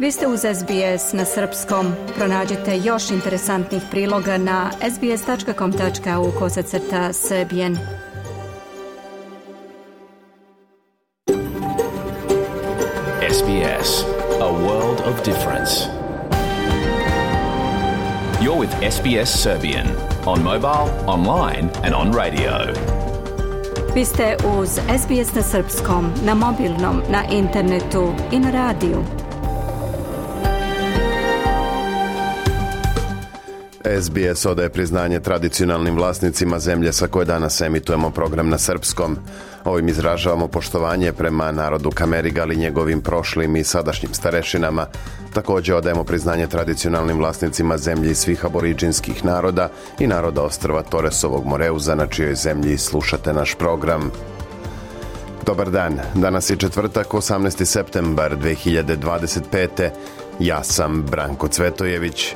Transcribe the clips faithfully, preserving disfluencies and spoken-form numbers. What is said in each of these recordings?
Vi ste uz S B S na srpskom. Pronađite još interesantnih priloga na sbs.com tačka au kosacrta srbijen. S B S, a world of difference. You're with S B S Serbian on mobile, online and on radio. Vi ste uz S B S na srpskom, na mobilnom, na internetu i na radiju. S B S odaje priznanje tradicionalnim vlasnicima zemlje sa koje danas emitujemo program na srpskom. Ovim izražavamo poštovanje prema narodu Kamerigal i njegovim prošlim i sadašnjim starešinama. Također odajemo priznanje tradicionalnim vlasnicima zemlji svih aboriđinskih naroda i naroda ostrva Toresovog Moreuza, na čijoj zemlji slušate naš program. Dobar dan, danas je četvrtak, osamnaesti septembar dve hiljade dvadeset pete. Ja sam Branko Cvetojević.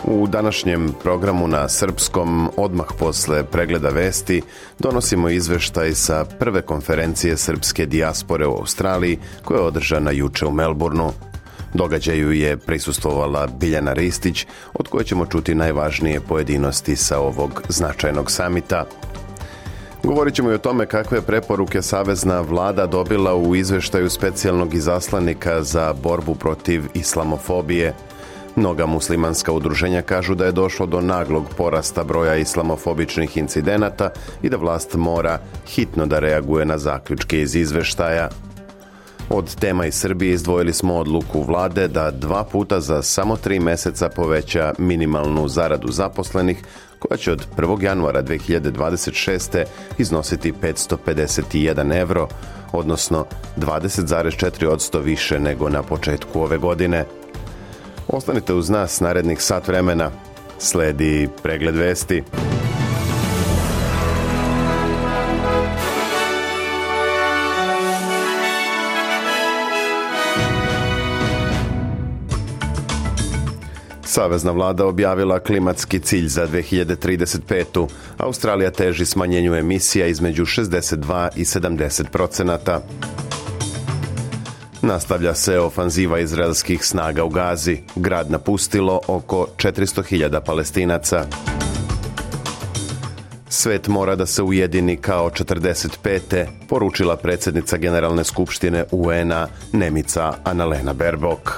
U današnjem programu na srpskom, odmah posle pregleda vesti, donosimo izveštaj sa prve konferencije srpske dijaspore u Australiji, koja je održana juče u Melbourneu. Događaju je prisustvovala Biljana Ristić, od koje ćemo čuti najvažnije pojedinosti sa ovog značajnog samita. Govorit ćemo i o tome kakve preporuke savezna vlada dobila u izveštaju specijalnog izaslanika za borbu protiv islamofobije. Mnoga muslimanska udruženja kažu da je došlo do naglog porasta broja islamofobičnih incidenata i da vlast mora hitno da reaguje na zaključke iz izveštaja. Od tema iz Srbije izdvojili smo odluku vlade da dva puta za samo tri meseca poveća minimalnu zaradu zaposlenih, koja će od prvog januara dve hiljade dvadeset šeste. iznositi petsto pedeset jedan evro, odnosno dvadeset zarez četiri posto više nego na početku ove godine. Ostanite uz nas narednih sat vremena. Sledi pregled vesti. Savezna vlada objavila klimatski cilj za dve hiljade trideset petu. Australija teži smanjenju emisija između šezdeset dva i sedamdeset procenata. Nastavlja se ofanziva izraelskih snaga u Gazi. Grad napustilo oko četiristo hiljada Palestinaca. Svet mora da se ujedini kao četrdeset pete. poručila predsjednica Generalne skupštine U N-a Nemica Annalena Baerbock.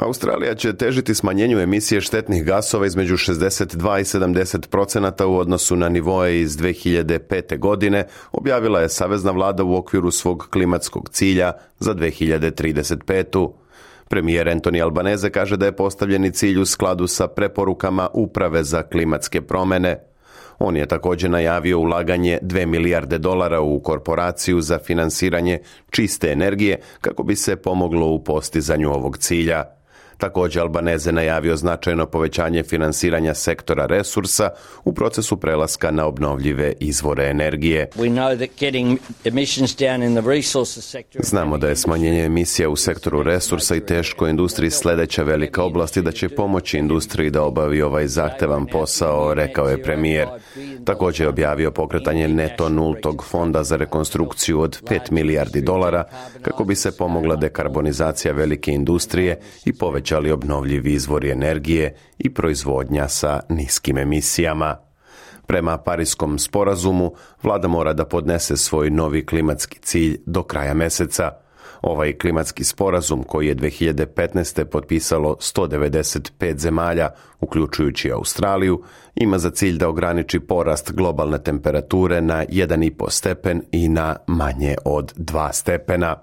Australija će težiti smanjenju emisije štetnih gasova između šezdeset dva i sedamdeset procenata u odnosu na nivoe iz dve hiljade pete. godine, objavila je savezna vlada u okviru svog klimatskog cilja za dve hiljade trideset petu. Premijer Anthony Albanese kaže da je postavljeni cilj u skladu sa preporukama Uprave za klimatske promjene. On je također najavio ulaganje dve milijarde dolara u korporaciju za finansiranje čiste energije kako bi se pomoglo u postizanju ovog cilja. Također Albanese najavio značajno povećanje finansiranja sektora resursa u procesu prelaska na obnovljive izvore energije. Znamo da je smanjenje emisija u sektoru resursa i teškoj industriji sljedeća velika oblast i da će pomoći industriji da obavi ovaj zahtevan posao, rekao je premijer. Također je objavio pokretanje neto nultog fonda za rekonstrukciju od pet milijardi dolara kako bi se pomogla dekarbonizacija velike industrije i povećanje ali obnovljivi izvori energije i proizvodnja sa niskim emisijama. Prema Parijskom sporazumu, vlada mora da podnese svoj novi klimatski cilj do kraja meseca. Ovaj klimatski sporazum, koji je dve hiljade petnaeste. potpisalo sto devedeset pet zemalja, uključujući Australiju, ima za cilj da ograniči porast globalne temperature na jedan i po stepen i na manje od dva stepena.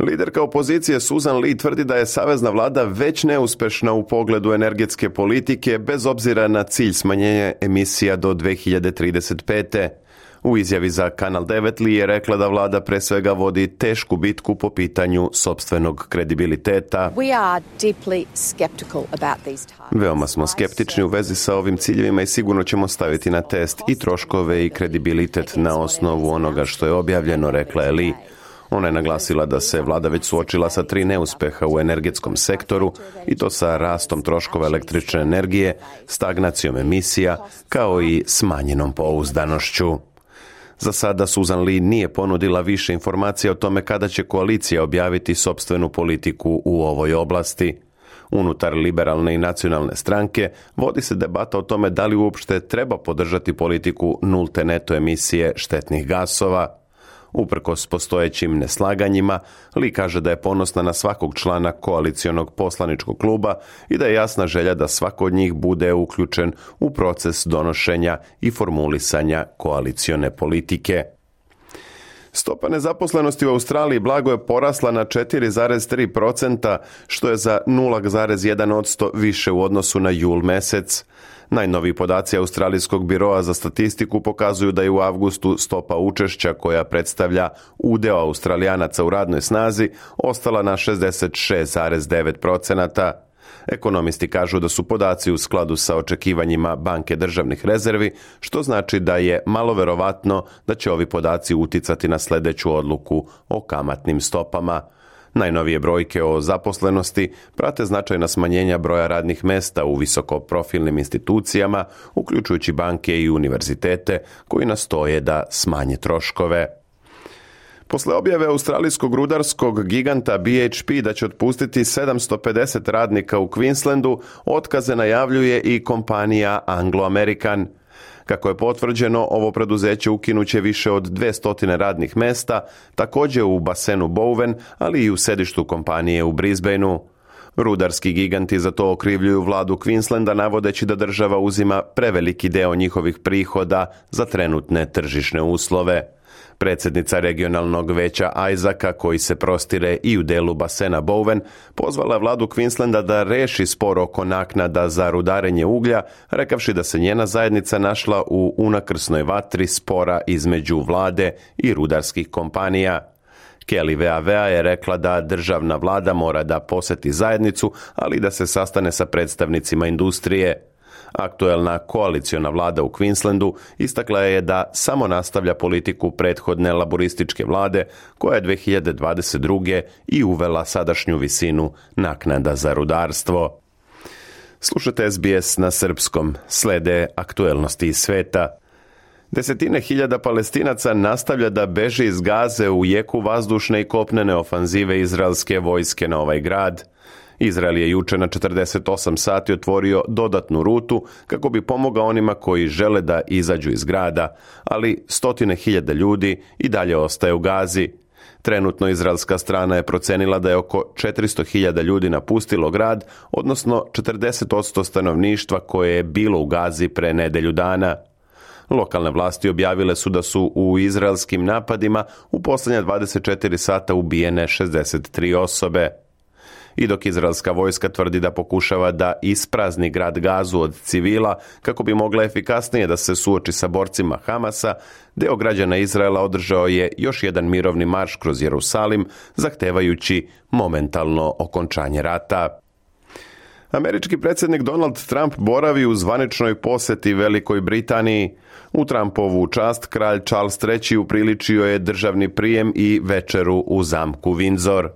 Liderka opozicije Susan Lee tvrdi da je savezna vlada već neuspešna u pogledu energetske politike bez obzira na cilj smanjenja emisija do dve hiljade trideset pete. U izjavi za Kanal devet Lee je rekla da vlada pre svega vodi tešku bitku po pitanju sopstvenog kredibiliteta. Veoma smo skeptični u vezi sa ovim ciljevima i sigurno ćemo staviti na test i troškove i kredibilitet na osnovu onoga što je objavljeno, rekla je Lee. Ona je naglasila da se vlada već suočila sa tri neuspeha u energetskom sektoru i to sa rastom troškova električne energije, stagnacijom emisija, kao i smanjenom pouzdanošću. Za sada Susan Lee nije ponudila više informacija o tome kada će koalicija objaviti sopstvenu politiku u ovoj oblasti. Unutar liberalne i nacionalne stranke vodi se debata o tome da li uopšte treba podržati politiku nulte neto emisije štetnih gasova. Uprkos postojećim neslaganjima, Lee kaže da je ponosna na svakog člana koalicionog poslaničkog kluba i da je jasna želja da svako od njih bude uključen u proces donošenja i formulisanja koalicione politike. Stopa nezaposlenosti u Australiji blago je porasla na četiri zarez tri procenta, što je za nula zarez jedan posto više u odnosu na jul mesec. Najnoviji podaci Australijskog biroa za statistiku pokazuju da je u avgustu stopa učešća koja predstavlja udeo Australijanaca u radnoj snazi ostala na šezdeset šest zarez devet procenata. Ekonomisti kažu da su podaci u skladu sa očekivanjima Banke državnih rezervi, što znači da je malo verovatno da će ovi podaci uticati na sljedeću odluku o kamatnim stopama. Najnovije brojke o zaposlenosti prate značajna smanjenja broja radnih mesta u visokoprofilnim institucijama, uključujući banke i univerzitete, koji nastoje da smanje troškove. Posle objave australijskog rudarskog giganta B H P da će otpustiti sedamsto pedeset radnika u Queenslandu, otkaze najavljuje i kompanija Anglo American. Kako je potvrđeno, ovo preduzeće ukinuće više od dvesta radnih mesta, također u basenu Bowen, ali i u sedištu kompanije u Brisbaneu. Rudarski giganti za to okrivljuju vladu Queenslanda, navodeći da država uzima preveliki deo njihovih prihoda za trenutne tržišne uslove. Predsjednica regionalnog veća Isaaca, koji se prostire i u delu basena Bowen, pozvala vladu Queenslanda da reši spor oko naknada za rudarenje uglja, rekavši da se njena zajednica našla u unakrsnoj vatri spora između vlade i rudarskih kompanija. Kelly Veavea je rekla da državna vlada mora da poseti zajednicu, ali da se sastane sa predstavnicima industrije. Aktuelna koaliciona vlada u Queenslandu istakla je da samo nastavlja politiku prethodne laborističke vlade, koja je dve hiljade dvadeset druge i uvela sadašnju visinu naknada za rudarstvo. Slušajte S B S na srpskom, slede aktuelnosti iz sveta. Desetine hiljada Palestinaca nastavlja da beže iz Gaze u jeku vazdušne i kopnene ofanzive izraelske vojske na ovaj grad. Izrael je juče na četrdeset osam sati otvorio dodatnu rutu kako bi pomogao onima koji žele da izađu iz grada, ali stotine hiljada ljudi i dalje ostaje u Gazi. Trenutno izraelska strana je procenila da je oko četiristo hiljada ljudi napustilo grad, odnosno četrdeset posto stanovništva koje je bilo u Gazi pre nedelju dana. Lokalne vlasti objavile su da su u izraelskim napadima u posljednja dvadeset četiri sata ubijene šezdeset tri osobe. I dok izraelska vojska tvrdi da pokušava da isprazni grad Gazu od civila kako bi mogla efikasnije da se suoči sa borcima Hamasa, deo građana Izraela održao je još jedan mirovni marš kroz Jerusalim, zahtevajući momentalno okončanje rata. Američki predsjednik Donald Trump boravi u zvaničnoj posjeti Velikoj Britaniji. U Trumpovu čast kralj Charles treći upriličio je državni prijem i večeru u zamku Windsor.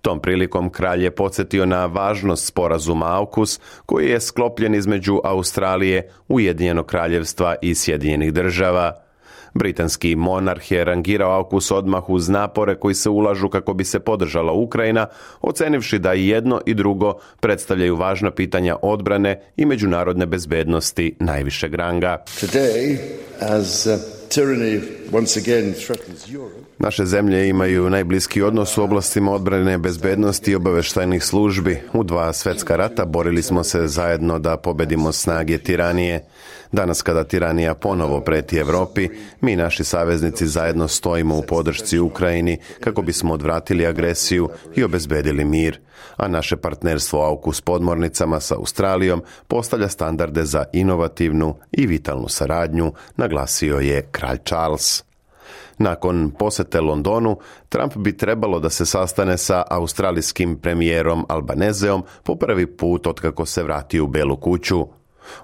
Tom prilikom kralj je podsjetio na važnost sporazuma AUKUS, koji je sklopljen između Australije, Ujedinjenog kraljevstva i Sjedinjenih država. Britanski monarh je rangirao AUKUS odmah uz napore koji se ulažu kako bi se podržala Ukrajina, ocenivši da i jedno i drugo predstavljaju važna pitanja odbrane i međunarodne bezbednosti najvišeg ranga. Today, as uh, tyranny once again threatens Europe, naše zemlje imaju najbliski odnos u oblastima odbrane, bezbednosti i obavještajnih službi. U dva svjetska rata borili smo se zajedno da pobedimo snage tiranije. Danas kada tiranija ponovo preti Evropi, mi naši saveznici zajedno stojimo u podršci Ukrajini kako bismo odvratili agresiju i obezbedili mir, a naše partnerstvo AUKUS podmornicama sa Australijom postavlja standarde za inovativnu i vitalnu saradnju, naglasio je kralj Charles. Nakon posete Londonu, Trump bi trebalo da se sastane sa australijskim premijerom Albanezeom po prvi put otkako se vratio u Belu kuću.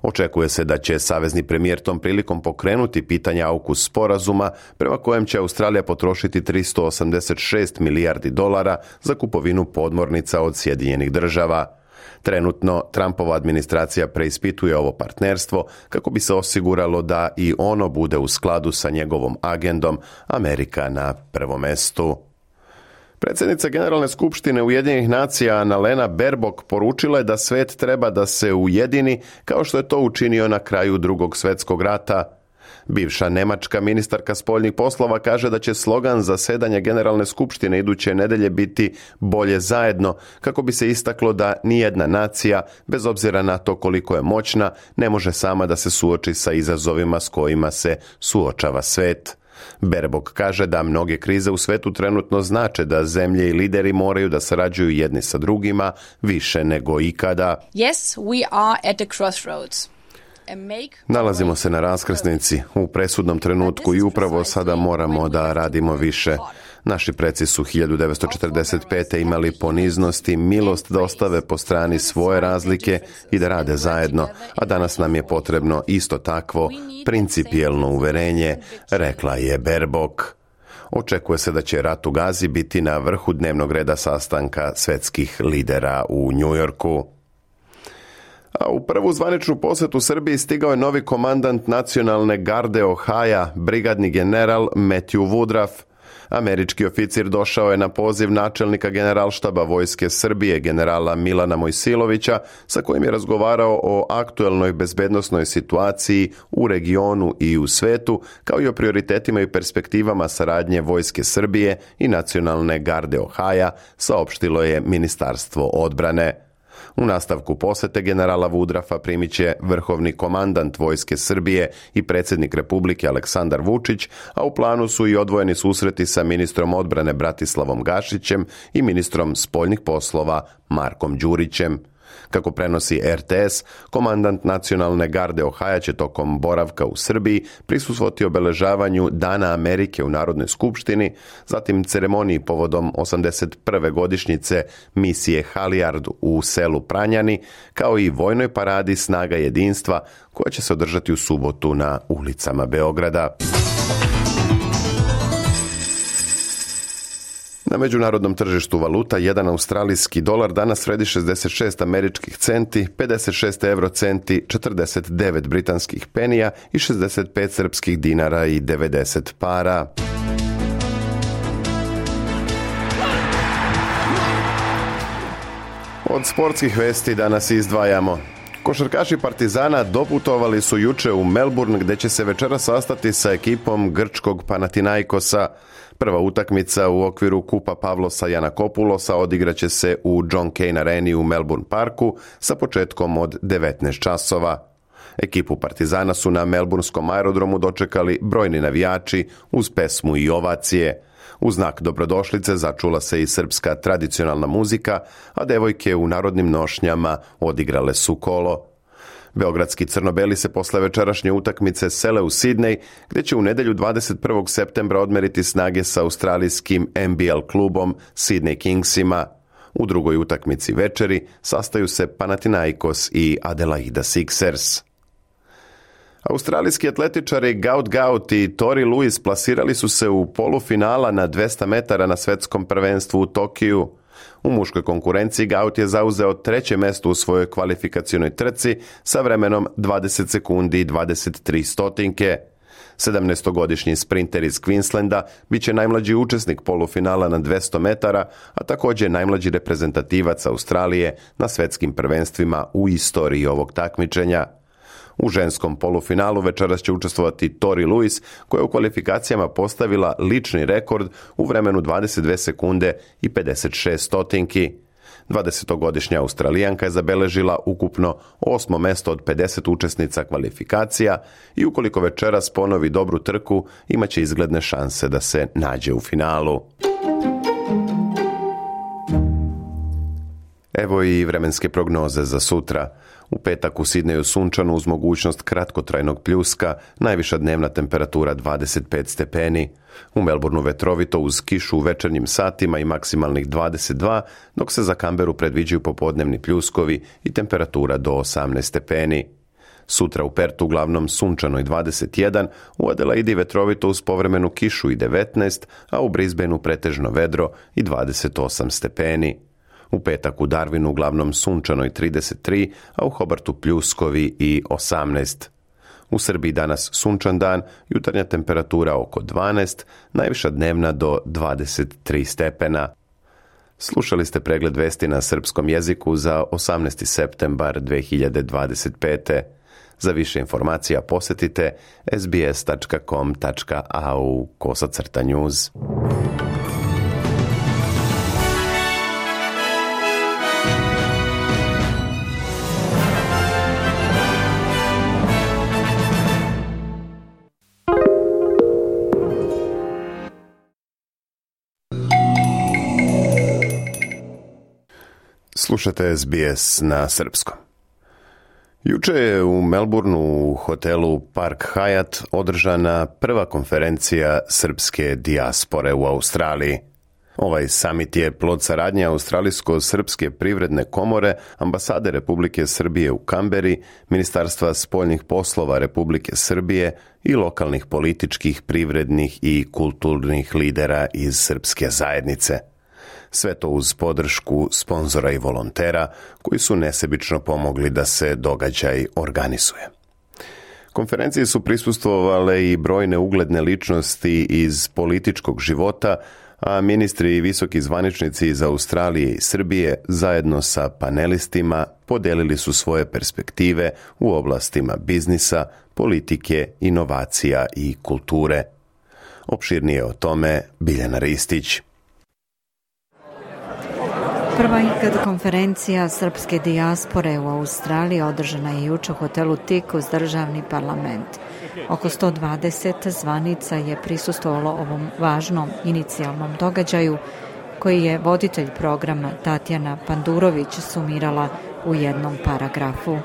Očekuje se da će savezni premijer tom prilikom pokrenuti pitanje AUKUS sporazuma prema kojem će Australija potrošiti tristo osamdeset šest milijardi dolara za kupovinu podmornica od Sjedinjenih država. Trenutno Trumpova administracija preispituje ovo partnerstvo kako bi se osiguralo da i ono bude u skladu sa njegovom agendom Amerika na prvom mestu. Predsjednica Generalne skupštine Ujedinjenih nacija Annalena Baerbock poručila je da svet treba da se ujedini kao što je to učinio na kraju Drugog svjetskog rata. Bivša nemačka ministarka spoljnih poslova kaže da će slogan zasedanja Generalne skupštine iduće nedelje biti bolje zajedno, kako bi se istaklo da nijedna nacija, bez obzira na to koliko je moćna, ne može sama da se suoči sa izazovima s kojima se suočava svet. Baerbock kaže da mnoge krize u svetu trenutno znače da zemlje i lideri moraju da sarađuju jedni sa drugima više nego ikada. Yes, we are at the crossroads. Nalazimo se na raskrsnici, u presudnom trenutku i upravo sada moramo da radimo više. Naši preci su hiljadu devetsto četrdeset pete imali poniznost i milost da ostave po strani svoje razlike i da rade zajedno, a danas nam je potrebno isto takvo principijelno uverenje, rekla je Baerbock. Očekuje se da će rat u Gazi biti na vrhu dnevnog reda sastanka svjetskih lidera u Njujorku. A u prvu zvaničnu posjetu Srbiji stigao je novi komandant nacionalne garde Ohaja, brigadni general Matthew Woodruff. Američki oficir došao je na poziv načelnika generalštaba Vojske Srbije, generala Milana Mojsilovića, sa kojim je razgovarao o aktuelnoj bezbednosnoj situaciji u regionu i u svetu, kao i o prioritetima i perspektivama saradnje Vojske Srbije i nacionalne garde Ohaja, saopštilo je Ministarstvo odbrane. U nastavku posete generala Woodraffa primit će vrhovni komandant Vojske Srbije i predsjednik Republike Aleksandar Vučić, a u planu su i odvojeni susreti sa ministrom odbrane Bratislavom Gašićem i ministrom spoljnih poslova Markom Đurićem. Kako prenosi er te es, komandant nacionalne garde Ohaja će tokom boravka u Srbiji prisustvovati obeležavanju Dana Amerike u Narodnoj skupštini, zatim ceremoniji povodom osamdeset prve godišnjice misije Halijard u selu Pranjani, kao i vojnoj paradi Snaga jedinstva koja će se održati u subotu na ulicama Beograda. Na međunarodnom tržištu valuta jedan australijski dolar danas vredi šezdeset šest američkih centi, pedeset šest eurocenti, četrdeset devet britanskih penija i šezdeset pet srpskih dinara i devedeset para. Od sportskih vesti danas izdvajamo. Košarkaši Partizana doputovali su juče u Melbourne, gdje će se večera sastati sa ekipom grčkog Panathinaikosa. Prva utakmica u okviru Kupa Pavlosa Janakopulosa odigraće se u John Cain Areni u Melbourne Parku sa početkom od devetnaest časova. Ekipu Partizana su na melburnskom aerodromu dočekali brojni navijači uz pesmu i ovacije. U znak dobrodošlice začula se i srpska tradicionalna muzika, a devojke u narodnim nošnjama odigrale su kolo. Beogradski crno-beli se posle večerašnje utakmice sele u Sidnej, gdje će u nedjelju dvadeset prvog septembra odmeriti snage sa australijskim en be el klubom Sydney Kingsima. U drugoj utakmici večeri sastaju se Panathinaikos i Adelaida Sixers. Australijski atletičari Gaut Gaut i Tori Lewis plasirali su se u polufinala na dvesta metara na svjetskom prvenstvu u Tokiju. U muškoj konkurenciji Gaut je zauzeo treće mesto u svojoj kvalifikacionoj trci sa vremenom dvadeset sekundi i dvadeset tri stotinke. sedamnaestogodišnji sprinter iz Queenslanda bit će najmlađi učesnik polufinala na dvesta metara, a također najmlađi reprezentativac Australije na svjetskim prvenstvima u istoriji ovog takmičenja. U ženskom polufinalu večeras će učestvovati Tori Lewis, koja je u kvalifikacijama postavila lični rekord u vremenu dvadeset dve sekunde i pedeset šest stotinki. dvadesetogodišnja Australijanka je zabeležila ukupno osmo mesto od pedeset učesnica kvalifikacija i ukoliko večeras ponovi dobru trku, imaće izgledne šanse da se nađe u finalu. Evo i vremenske prognoze za sutra. U petak u Sidneju sunčano uz mogućnost kratkotrajnog pljuska, najviša dnevna temperatura dvadeset pet stepeni. U Melbourneu vetrovito uz kišu u večernjim satima i maksimalnih dvadeset dva, dok se za Canberu predviđaju popodnevni pljuskovi i temperatura do osamnaest stepeni. Sutra u Pertu uglavnom sunčano i dvadeset jedan, u Adelaidi vetrovito uz povremenu kišu i devetnaest, a u Brisbaneu pretežno vedro i dvadeset osam stepeni. U petak u Darwinu uglavnom sunčano i trideset tri, a u Hobartu pljuskovi i osamnaest. U Srbiji danas sunčan dan, jutarnja temperatura oko dvanaest, najviša dnevna do dvadeset tri stepena. Slušali ste pregled vesti na srpskom jeziku za osamnaesti septembar dve hiljade dvadeset pete. Za više informacija posjetite es bi es tačka com tačka a u kosacrta news. Slušate es bi es na srpskom. Juče je u Melbourneu u hotelu Park Hyatt održana prva konferencija srpske dijaspore u Australiji. Ovaj samit je plod saradnje Australijsko-srpske privredne komore, ambasade Republike Srbije u Kamberi, Ministarstva spoljnih poslova Republike Srbije i lokalnih političkih, privrednih i kulturnih lidera iz srpske zajednice. Sve to uz podršku sponzora i volontera koji su nesebično pomogli da se događaj organizuje. Konferenciji su prisustvovale i brojne ugledne ličnosti iz političkog života, a ministri i visoki zvaničnici iz Australije i Srbije zajedno sa panelistima podelili su svoje perspektive u oblastima biznisa, politike, inovacija i kulture. Opširnije o tome Biljana Ristić. Prva ikad konferencija srpske dijaspore u Australiji održana je juče u hotelu Tik uz državni parlament. Oko sto dvadeset zvanica je prisustvovalo ovom važnom inicijalnom događaju koji je voditelj programa Tatjana Pandurović sumirala u jednom paragrafu.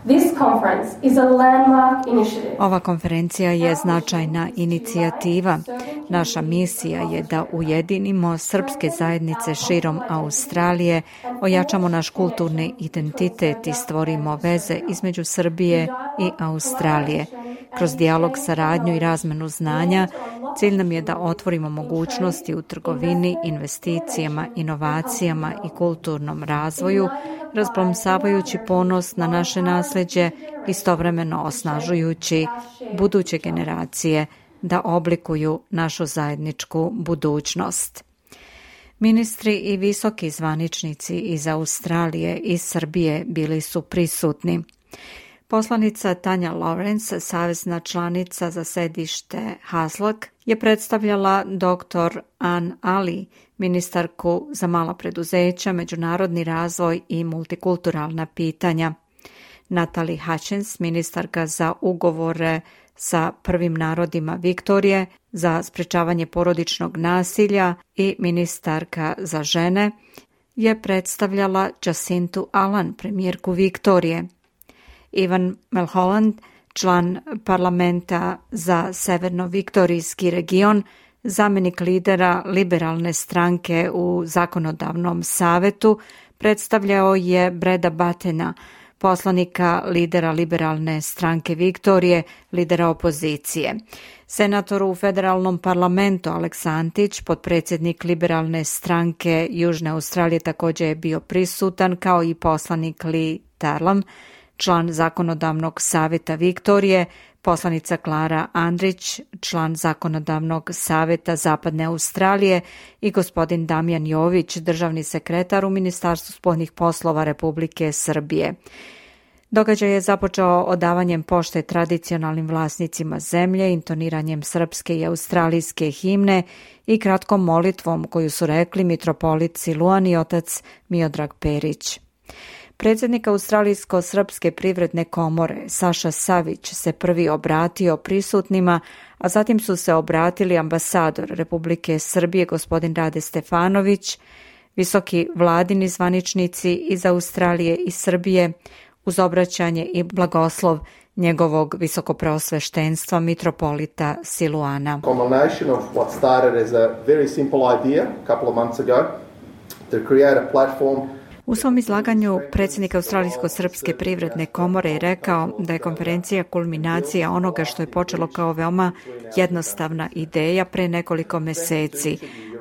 This conference is a landmark initiative. Ova konferencija je značajna inicijativa. Naša misija je da ujedinimo srpske zajednice širom Australije, ojačamo naš kulturni identitet i stvorimo veze između Srbije i Australije. Kroz dijalog, saradnju i razmenu znanja, cilj nam je da otvorimo mogućnosti u trgovini, investicijama, inovacijama i kulturnom razvoju, razplamsavajući ponos na naše nasleđe, istovremeno osnažujući buduće generacije da oblikuju našu zajedničku budućnost. Ministri i visoki zvaničnici iz Australije i Srbije bili su prisutni. Poslanica Tanja Lawrence, savezna članica za sedište Haslak, je predstavljala doktor Ann Ali, ministarku za mala preduzeća, međunarodni razvoj i multikulturalna pitanja. Natalie Hutchins, ministarka za ugovore sa prvim narodima Viktorije, za sprečavanje porodičnog nasilja i ministarka za žene, je predstavljala Jacintu Allan, premijerku Viktorije. Ivan Mulholland, član parlamenta za Severno-Viktorijski region, zamjenik lidera liberalne stranke u zakonodavnom savetu, predstavljao je Breda Battena, poslanika lidera liberalne stranke Viktorije, lidera opozicije. Senator u federalnom parlamentu Alex Antić, potpredsjednik liberalne stranke Južne Australije, također je bio prisutan, kao i poslanik Lee Tarlam, član zakonodavnog savjeta Viktorije, poslanica Klara Andrić, član zakonodavnog savjeta Zapadne Australije i gospodin Damjan Jović, državni sekretar u Ministarstvu spoljnih poslova Republike Srbije. Događaj je započeo odavanjem pošte tradicionalnim vlasnicima zemlje, intoniranjem srpske i australijske himne i kratkom molitvom koju su rekli mitropolit Siluan i otac Miodrag Perić. Predsjednik Australijsko-srpske privredne komore Saša Savić se prvi obratio prisutnima, a zatim su se obratili ambasador Republike Srbije gospodin Rade Stefanović, visoki vladini zvaničnici iz Australije i Srbije, uz obraćanje i blagoslov njegovog visokopreosveštenstva mitropolita Siluana. Culmination of what started as a very simple idea a couple of months ago to create a platform U svom izlaganju predsjednik Australijsko-srpske privredne komore je rekao da je konferencija kulminacija onoga što je počelo kao veoma jednostavna ideja pre nekoliko meseci,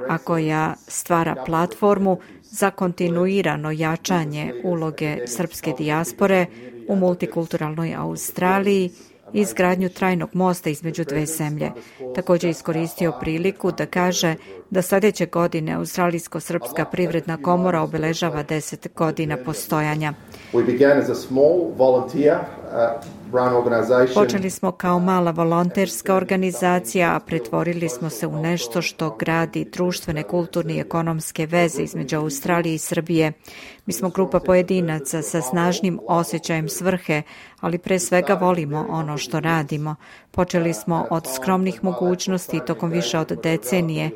a koja stvara platformu za kontinuirano jačanje uloge srpske dijaspore u multikulturalnoj Australiji i izgradnju trajnog mosta između dve zemlje. Također je iskoristio priliku da kaže da sljedeće godine Australijsko-srpska privredna komora obeležava deset godina postojanja. Počeli smo kao mala volonterska organizacija, a pretvorili smo se u nešto što gradi društvene, kulturne i ekonomske veze između Australije i Srbije. Mi smo grupa pojedinaca sa snažnim osjećajem svrhe, ali pre svega volimo ono što radimo. Počeli smo od skromnih mogućnosti tokom više od decenije.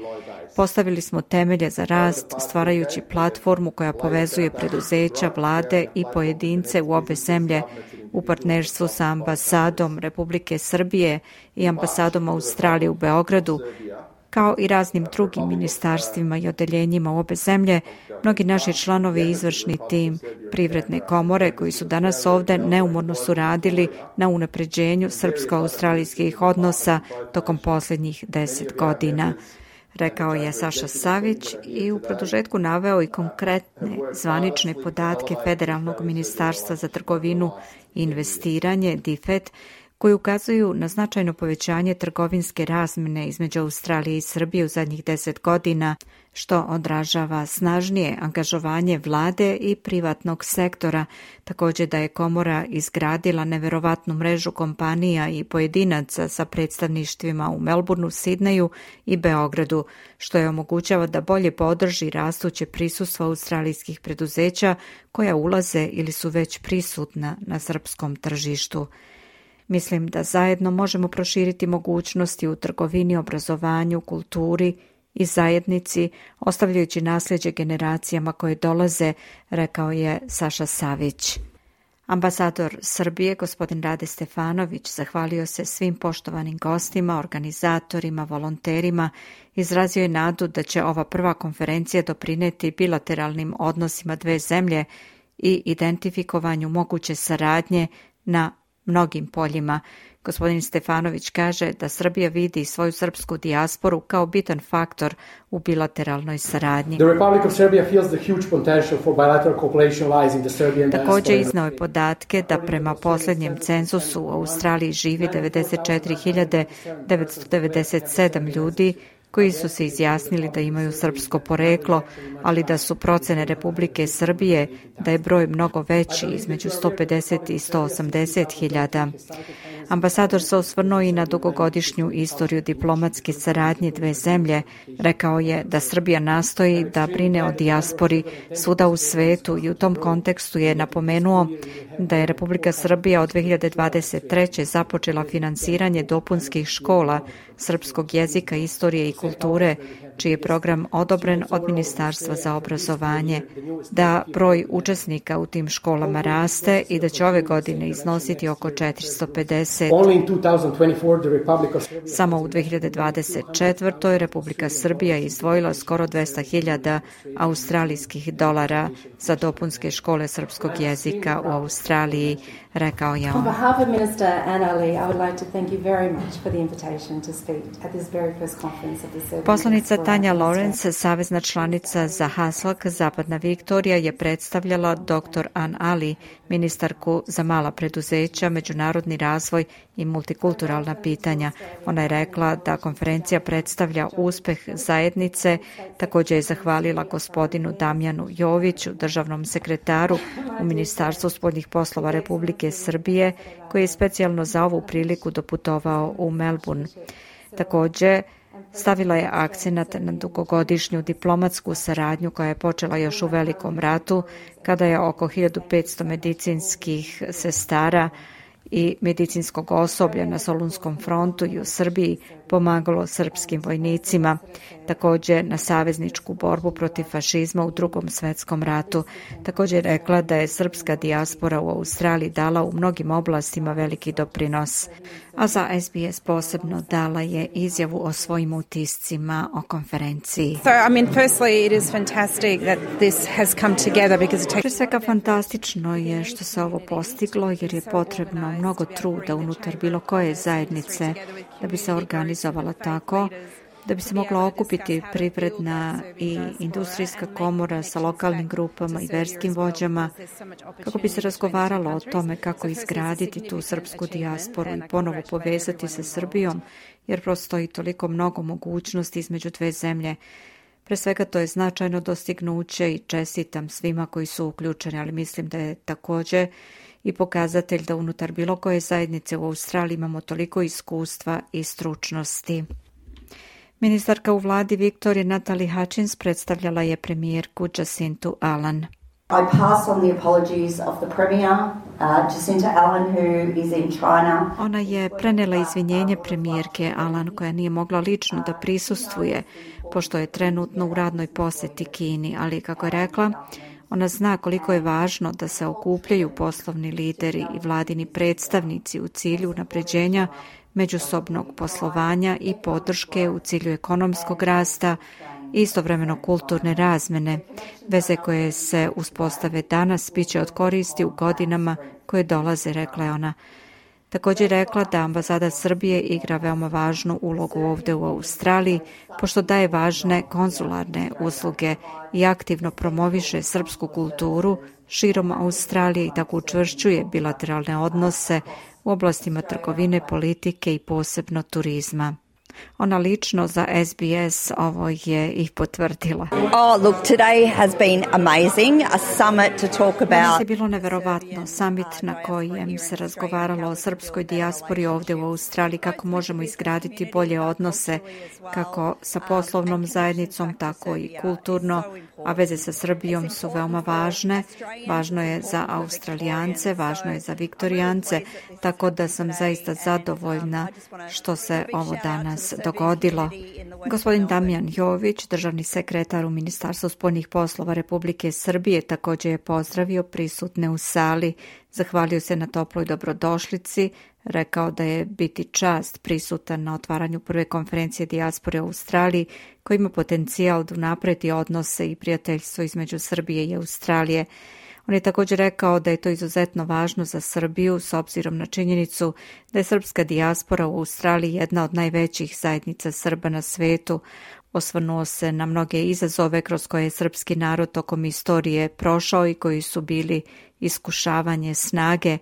Postavili smo temelje za rast, stvarajući platformu koja povezuje preduzeća, vlade i pojedince u obe zemlje u partnerstvu sa ambasadom Republike Srbije i ambasadom Australije u Beogradu, kao i raznim drugim ministarstvima i odeljenjima u obe zemlje. Mnogi naši članovi i izvršni tim privredne komore koji su danas ovde neumorno su radili na unapređenju srpsko-australijskih odnosa tokom posljednjih deset godina. Rekao je Saša Savić i u produžetku naveo i konkretne zvanične podatke Federalnog ministarstva za trgovinu i investiranje, D F E T, koji ukazuju na značajno povećanje trgovinske razmjene između Australije i Srbije u zadnjih deset godina, što odražava snažnije angažovanje vlade i privatnog sektora. Također da je komora izgradila neverovatnu mrežu kompanija i pojedinaca sa predstavništvima u Melbourneu, Sidneju i Beogradu, što je omogućava da bolje podrži rastuće prisustvo australijskih preduzeća koja ulaze ili su već prisutna na srpskom tržištu. Mislim da zajedno možemo proširiti mogućnosti u trgovini, obrazovanju, kulturi i zajednici, ostavljajući nasljeđe generacijama koje dolaze, rekao je Saša Savić. Ambasador Srbije, gospodin Rade Stefanović, zahvalio se svim poštovanim gostima, organizatorima, volonterima, izrazio je nadu da će ova prva konferencija doprineti bilateralnim odnosima dve zemlje i identifikovanju moguće saradnje na mnogim poljima. Gospodin Stefanović kaže da Srbija vidi svoju srpsku dijasporu kao bitan faktor u bilateralnoj saradnji. Također iznao je podatke da prema posljednjem cenzusu u Australiji živi devedeset četiri hiljade devetsto devedeset sedam ljudi koji su se izjasnili da imaju srpsko poreklo, ali da su procene Republike Srbije da je broj mnogo veći, između sto pedeset i sto osamdeset hiljada. Ambasador se osvrnuo i na dugogodišnju istoriju diplomatske saradnje dve zemlje. Rekao je da Srbija nastoji da brine o dijaspori svuda u svetu i u tom kontekstu je napomenuo da je Republika Srbija od dve hiljade dvadeset treće započela finansiranje dopunskih škola srpskog jezika, istorije i kulture, čiji je program odobren od Ministarstva za obrazovanje, da broj učesnika u tim školama raste i da će ove godine iznositi oko četiristo pedeset. Samo u dve hiljade dvadeset četvrtoj. Republika Srbija je izdvojila skoro dvesta hiljada australijskih dolara za dopunske škole srpskog jezika u Australiji, rekao je on. Poslanica Tanja Lawrence, savezna članica za Haslak Zapadna Viktorija, je predstavljala doktor An Ali, ministarku za mala preduzeća, međunarodni razvoj i multikulturalna pitanja. Ona je rekla da konferencija predstavlja uspeh zajednice. Također je zahvalila gospodinu Damjanu Joviću, državnom sekretaru u Ministarstvu spoljnih poslova Republike Srbije, koji je specijalno za ovu priliku doputovao u Melbourne. Također stavila je akcenat na dugogodišnju diplomatsku saradnju koja je počela još u Velikom ratu, kada je oko hiljadu petsto medicinskih sestara i medicinskog osoblja na Solunskom frontu i u Srbiji pomagalo srpskim vojnicima, također na savezničku borbu protiv fašizma u Drugom svjetskom ratu. Također je rekla da je srpska dijaspora u Australiji dala u mnogim oblastima veliki doprinos. A za S B S posebno dala je izjavu o svojim utiscima o konferenciji. So, I mean, firstly, it is fantastic that this has come together because it takes... Prije svega fantastično je što se ovo postiglo jer je potrebno mnogo truda unutar bilo koje zajednice da bi se organizovala tako, da bi se mogla okupiti privredna i industrijska komora sa lokalnim grupama i verskim vođama, kako bi se razgovaralo o tome kako izgraditi tu srpsku dijasporu i ponovo povezati sa Srbijom, jer postoji toliko mnogo mogućnosti između dve zemlje. Pre svega to je značajno dostignuće i čestitam svima koji su uključeni, ali mislim da je također i pokazatelj da unutar bilo koje zajednice u Australiji imamo toliko iskustva i stručnosti. Ministarka u vladi Viktorije Natalie Hutchins predstavljala je premijerku Jacintu Allan. I pass on the apologies of the Premier, uh, Jacinta Allan, who is in China. Ona je prenela izvinjenje premijerke Allan koja nije mogla lično da prisustvuje, pošto je trenutno u radnoj posjeti Kini, ali kako je rekla, ona zna koliko je važno da se okupljaju poslovni lideri i vladini predstavnici u cilju unapređenja međusobnog poslovanja i podrške u cilju ekonomskog rasta i istovremeno kulturne razmene. Veze koje se uspostave danas bit će od koristi u godinama koje dolaze, rekla je ona. Također rekla da ambasada Srbije igra veoma važnu ulogu ovdje u Australiji, pošto daje važne konzularne usluge i aktivno promoviše srpsku kulturu širom Australije i tako učvršćuje bilateralne odnose u oblastima trgovine, politike i posebno turizma. Ona lično za S B S ovo je i potvrdila. Oh, look, today has been amazing. A summit to talk about... Danas je bilo neverovatno. Summit na kojem se razgovaralo o srpskoj dijaspori ovdje u Australiji, kako možemo izgraditi bolje odnose, kako sa poslovnom zajednicom, tako i kulturno, a veze sa Srbijom su veoma važne. Važno je za Australijance, važno je za Viktorijance, tako da sam zaista zadovoljna što se ovo danas dogodilo. Gospodin Damjan Jović, državni sekretar u Ministarstvu spoljnih poslova Republike Srbije, također je pozdravio prisutne u sali, zahvalio se na toploj dobrodošlici, rekao da je biti čast prisutan na otvaranju prve konferencije dijaspore u Australiji, koji ima potencijal da unapredi odnose i prijateljstvo između Srbije i Australije. On je također rekao da je to izuzetno važno za Srbiju s obzirom na činjenicu da je srpska dijaspora u Australiji jedna od najvećih zajednica Srba na svetu. Osvrnuo se na mnoge izazove kroz koje je srpski narod tokom istorije prošao i koji su bili iskušavanje snage.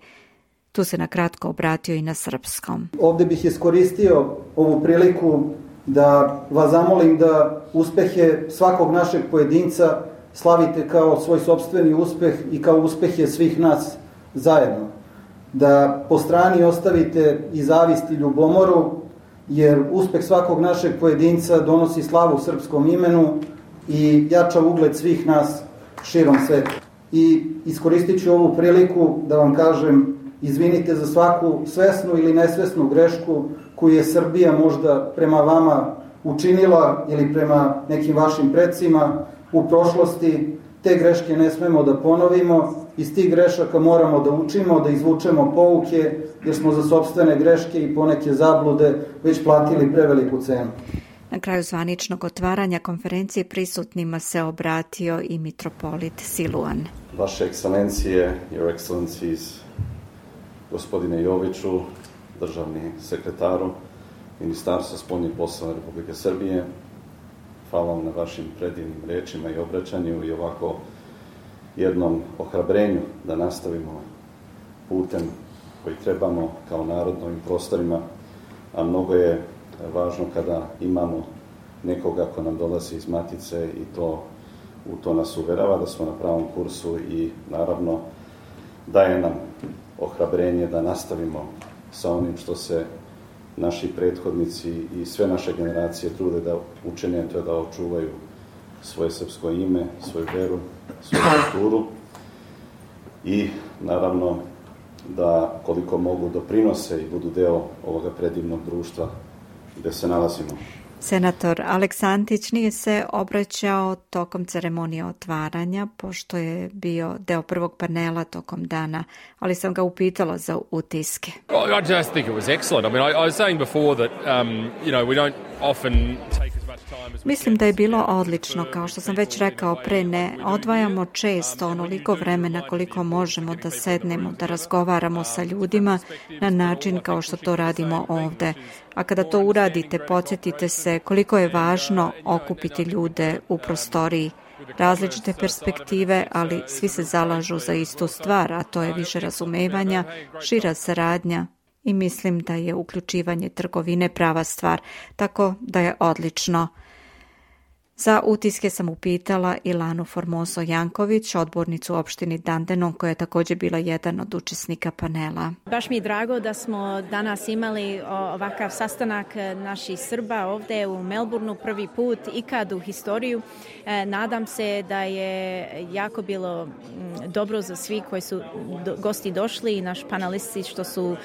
Tu se na kratko obratio i na srpskom. Ovdje bih iskoristio ovu priliku da vas zamolim da uspehe svakog našeg pojedinca slavite kao svoj sopstveni uspeh i kao uspehe svih nas zajedno. Da po strani ostavite i zavist i ljubomoru, jer uspeh svakog našeg pojedinca donosi slavu srpskom imenu i jača ugled svih nas širom sveta. I iskoristit ću ovu priliku da vam kažem izvinite za svaku svesnu ili nesvesnu grešku koju je Srbija možda prema vama učinila ili prema nekim vašim precima u prošlosti. Te greške ne smemo da ponovimo, iz tih grešaka moramo da učimo, da izvučemo pouke, jer smo za sopstvene greške i poneke zablude već platili preveliku cenu. Na kraju zvaničnog otvaranja konferencije prisutnima se obratio i mitropolit Siluan. Vaše ekscelencije, your excellencies, gospodine Joviću, državni sekretaru Ministarstva spoljnih poslova Republike Srbije, hvala vam na vašim predivnim rečima i obraćanju i ovako jednom ohrabrenju da nastavimo putem koji trebamo kao narod na ovim prostorima, a mnogo je važno kada imamo nekoga ko nam dolazi iz matice i to, u to nas uverava da smo na pravom kursu i naravno daje nam ohrabrenje da nastavimo sa onim što se naši prethodnici i sve naše generacije trude da učine, to je da očuvaju svoje srpsko ime, svoju veru, svoju kulturu i naravno da koliko mogu doprinose i budu deo ovoga predivnog društva gde se nalazimo. Senator Aleksantić nije se obraćao tokom ceremonije otvaranja, pošto je bio deo prvog panela tokom dana, ali sam ga upitala za utiske. I just think it was excellent. I mean, I, I was saying before that, um, you know, we don't often take as much time as we Mislim da je bilo odlično, kao što sam već rekao pre, ne odvajamo često onoliko vremena koliko možemo da sednemo, da razgovaramo sa ljudima na način kao što to radimo ovde. A kada to uradite, podsjetite se koliko je važno okupiti ljude u prostoriji. Različite perspektive, ali svi se zalažu za istu stvar, a to je više razumevanja, šira saradnja i mislim da je uključivanje trgovine prava stvar, tako da je odlično. Za utiske sam upitala Ilanu Formoso Janković, odbornicu u opštini Dandenong, koja je također bila jedan od učesnika panela. Baš mi je drago da smo danas imali ovakav sastanak naših Srba ovdje u Melbourneu prvi put ikad u historiju. Nadam se da je jako bilo dobro za svi koji su gosti došli i naš panelisti što su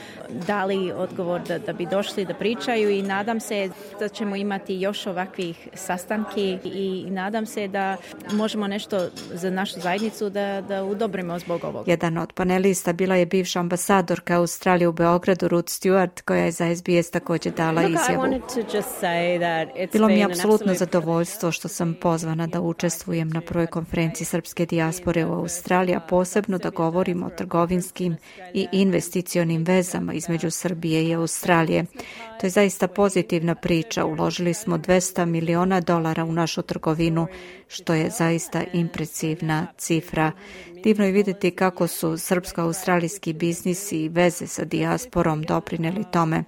dali odgovor da, da bi došli da pričaju i nadam se da ćemo imati još ovakvih sastanki i nadam se da možemo nešto za našu zajednicu da, da udobrimo zbog ovog. Jedan od panelista bila je bivša ambasadorka Australije u Beogradu, Ruth Stewart, koja je za S B S također dala izjavu. Bilo mi je apsolutno zadovoljstvo što sam pozvana da učestvujem na prvoj konferenciji srpske dijaspore u Australiji, a posebno da govorimo o trgovinskim i investicionim vezama između Srbije i Australije. To je zaista pozitivna priča. Uložili smo dvesta miliona dolara u našu trgovinu, što je zaista impresivna cifra. Divno je vidjeti kako su srpsko-australijski biznisi i veze sa dijasporom doprineli tome.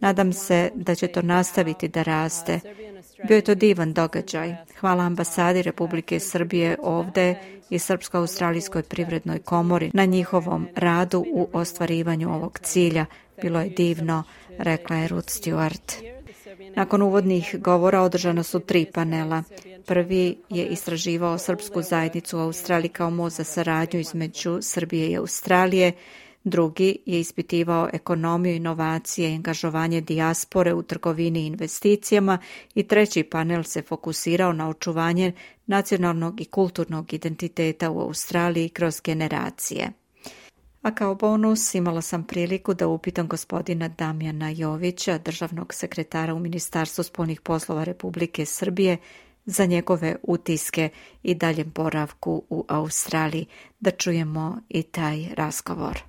Nadam se da će to nastaviti da raste. Bio je to divan događaj. Hvala ambasadi Republike Srbije ovde i Srpsko-australijskoj privrednoj komori na njihovom radu u ostvarivanju ovog cilja. Bilo je divno, rekla je Ruth Stewart. Nakon uvodnih govora održana su tri panela. Prvi je istraživao srpsku zajednicu u Australiji kao most za saradnju između Srbije i Australije. Drugi je ispitivao ekonomiju, inovacije i angažovanje dijaspore u trgovini i investicijama i treći panel se fokusirao na očuvanje nacionalnog i kulturnog identiteta u Australiji kroz generacije. A kao bonus imala sam priliku da upitam gospodina Damjana Jovića, državnog sekretara u Ministarstvu spoljnih poslova Republike Srbije, za njegove utiske i daljem boravku u Australiji. Da čujemo i taj razgovor.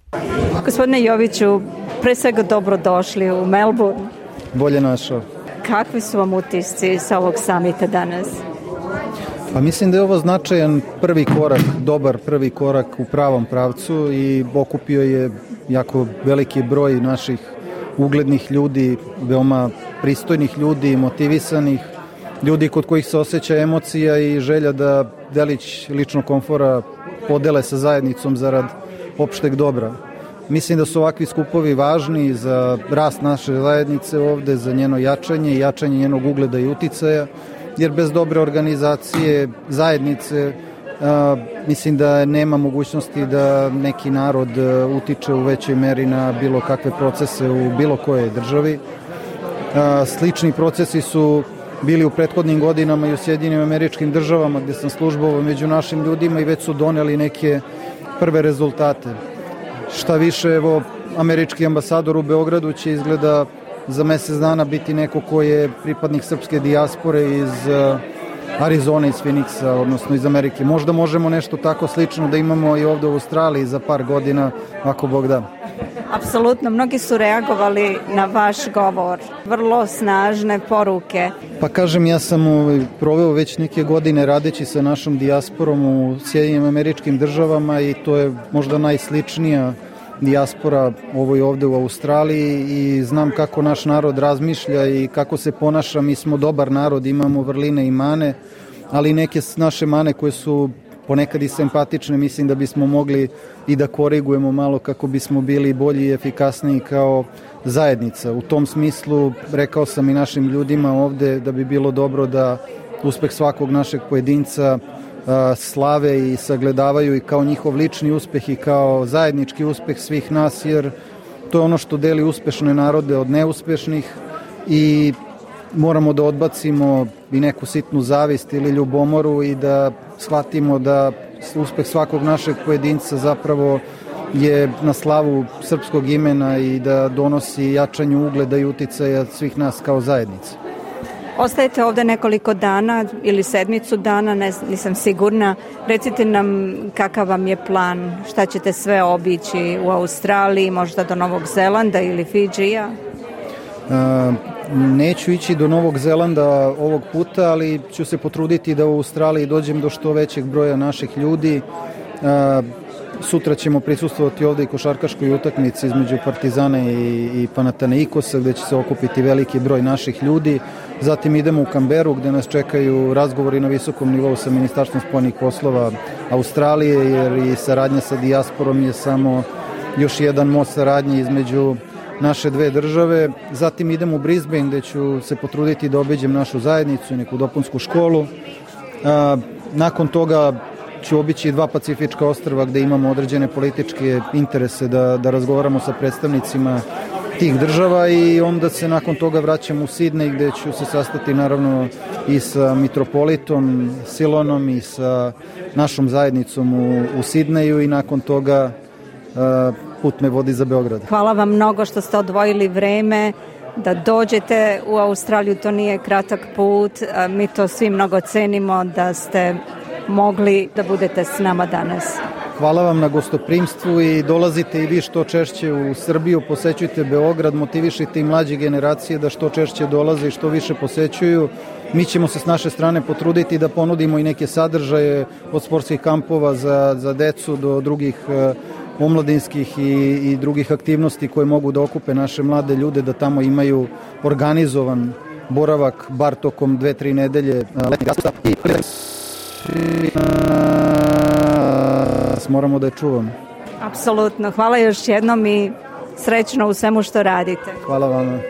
Gospodine Joviću, pre svega dobrodošli u Melbourne. Bolje našao. Kakvi su vam utisci sa ovog samita danas? Pa mislim da je ovo značajan prvi korak, dobar prvi korak u pravom pravcu i okupio je jako veliki broj naših uglednih ljudi, veoma pristojnih ljudi, motivisanih, ljudi kod kojih se osjeća emocija i želja da delić ličnog komfora podele sa zajednicom zarad opšteg dobra. Mislim da su ovakvi skupovi važni za rast naše zajednice ovde, za njeno jačanje i jačanje njenog ugleda i uticaja, jer bez dobre organizacije zajednice a, mislim da nema mogućnosti da neki narod utiče u većoj meri na bilo kakve procese u bilo kojoj državi. A, slični procesi su bili u prethodnim godinama i u Sjedinjenim Američkim Državama gdje sam službovao među našim ljudima i već su doneli neke prve rezultate. Šta više, evo, američki ambasador u Beogradu će izgleda za mjesec dana biti neko ko je pripadnik srpske dijaspore iz Arizone, iz Phoenixa, odnosno iz Amerike. Možda možemo nešto tako slično da imamo i ovdje u Australiji za par godina, ako Bog da. Apsolutno, mnogi su reagovali na vaš govor. Vrlo snažne poruke. Pa kažem, ja sam proveo već neke godine radeći sa našom dijasporom u Sjedinjenim Američkim Državama i to je možda najsličnija dijaspora ovoj ovde u Australiji i znam kako naš narod razmišlja i kako se ponaša. Mi smo dobar narod, imamo vrline i mane, ali neke naše mane koje su ponekad i simpatične, mislim da bismo mogli i da korigujemo malo kako bismo bili bolji i efikasniji kao zajednica. U tom smislu rekao sam i našim ljudima ovde da bi bilo dobro da uspeh svakog našeg pojedinca slave i sagledavaju i kao njihov lični uspeh i kao zajednički uspeh svih nas, jer to je ono što deli uspešne narode od neuspešnih i moramo da odbacimo i neku sitnu zavist ili ljubomoru i da shvatimo da uspeh svakog našeg pojedinca zapravo je na slavu srpskog imena i da donosi jačanju ugleda i uticaja svih nas kao zajednice. Ostajete ovde nekoliko dana ili sedmicu dana, ne, nisam sigurna. Recite nam kakav vam je plan, šta ćete sve obići u Australiji, možda do Novog Zelanda ili Fidžija? Uh, neću ići do Novog Zelanda ovog puta, ali ću se potruditi da u Australiji dođem do što većeg broja naših ljudi. Uh, Sutra ćemo prisustvovati ovde i košarkaškoj utakmici između Partizana i, i Panathinaikosa, gde će se okupiti veliki broj naših ljudi. Zatim idemo u Kamberu, gde nas čekaju razgovori na visokom nivou sa Ministarstvom spoljnih poslova Australije, jer i saradnja sa dijasporom je samo još jedan most saradnje između naše dve države. Zatim idemo u Brisbane, gde ću se potruditi da obiđem našu zajednicu i neku dopunsku školu. A, nakon toga ću obići dva pacifička ostrva gde imamo određene političke interese da, da razgovaramo sa predstavnicima tih država i onda se nakon toga vraćam u Sidney gde ću se sastati naravno i sa mitropolitom Silonom i sa našom zajednicom u, u Sidneju i nakon toga uh, put me vodi za Beograd. Hvala vam mnogo što ste odvojili vreme da dođete u Australiju, to nije kratak put, mi to svi mnogo cenimo da ste mogli da budete s nama danas. Hvala vam na gostoprimstvu i dolazite i vi što češće u Srbiju, posećujte Beograd, motivišite i mlađe generacije da što češće dolaze i što više posećuju. Mi ćemo se s naše strane potruditi da ponudimo i neke sadržaje od sportskih kampova za, za decu do drugih uh, omladinskih i, i drugih aktivnosti koje mogu da okupe naše mlade ljude, da tamo imaju organizovan boravak bar tokom dve, tri nedelje uh, letnjeg raspusta i moramo da je čuvamo. Apsolutno. Hvala još jednom i srećno u svemu što radite. Hvala vam.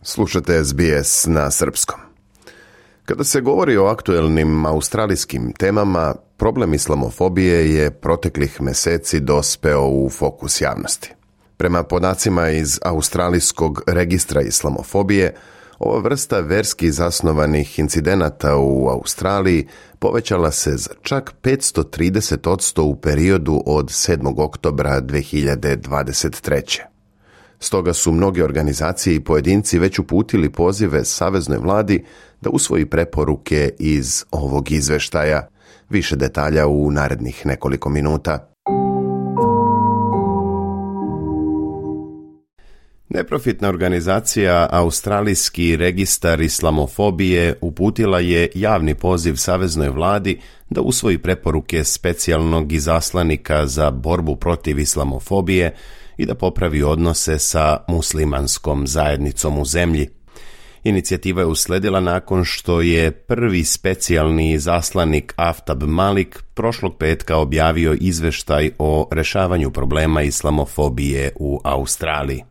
Slušate S B S na srpskom. Kada se govori o aktuelnim australijskim temama, problem islamofobije je proteklih meseci dospeo u fokus javnosti. Prema podacima iz Australijskog registra islamofobije, ova vrsta verski zasnovanih incidenata u Australiji povećala se za čak petsto trideset posto u periodu od sedmog oktobra dve hiljade dvadeset treće. Stoga su mnoge organizacije i pojedinci već uputili pozive Saveznoj vladi da usvoji preporuke iz ovog izveštaja. Više detalja u narednih nekoliko minuta. Neprofitna organizacija Australijski registar islamofobije uputila je javni poziv Saveznoj vladi da usvoji preporuke specijalnog izaslanika za borbu protiv islamofobije i da popravi odnose sa muslimanskom zajednicom u zemlji. Inicijativa je usledila nakon što je prvi specijalni izaslanik Aftab Malik prošlog petka objavio izveštaj o rešavanju problema islamofobije u Australiji.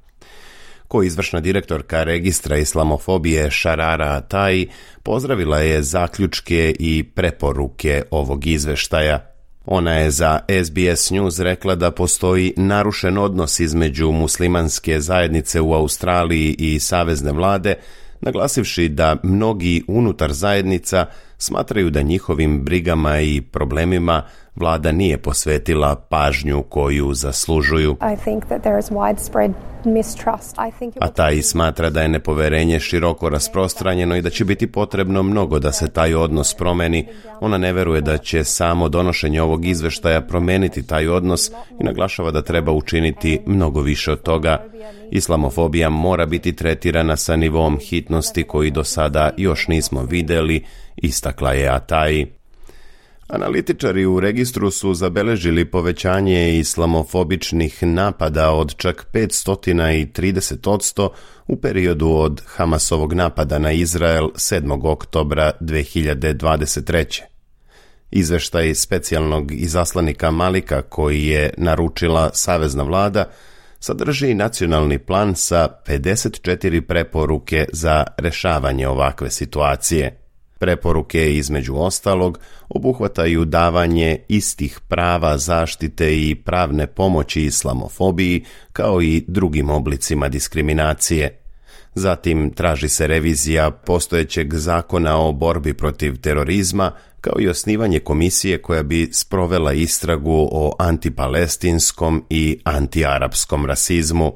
Ko izvršna direktorka registra islamofobije Sharara Atai pozdravila je zaključke i preporuke ovog izveštaja. Ona je za S B S News rekla da postoji narušen odnos između muslimanske zajednice u Australiji i savezne vlade, naglasivši da mnogi unutar zajednica smatraju da njihovim brigama i problemima vlada nije posvetila pažnju koju zaslužuju. A taj smatra da je nepoverenje široko rasprostranjeno i da će biti potrebno mnogo da se taj odnos promeni. Ona ne veruje da će samo donošenje ovog izveštaja promeniti taj odnos i naglašava da treba učiniti mnogo više od toga. Islamofobija mora biti tretirana sa nivom hitnosti koji do sada još nismo videli, istakla je Atai. Analitičari u registru su zabeležili povećanje islamofobičnih napada od čak petsto trideset posto u periodu od Hamasovog napada na Izrael sedmog oktobra dve hiljade dvadeset treće. Izveštaj specijalnog izaslanika Malika koji je naručila savezna vlada sadrži nacionalni plan sa pedeset četiri preporuke za rešavanje ovakve situacije. Preporuke, između ostalog, obuhvataju davanje istih prava zaštite i pravne pomoći islamofobiji, kao i drugim oblicima diskriminacije. Zatim traži se revizija postojećeg zakona o borbi protiv terorizma, kao i osnivanje komisije koja bi sprovela istragu o antipalestinskom i antiarapskom rasizmu.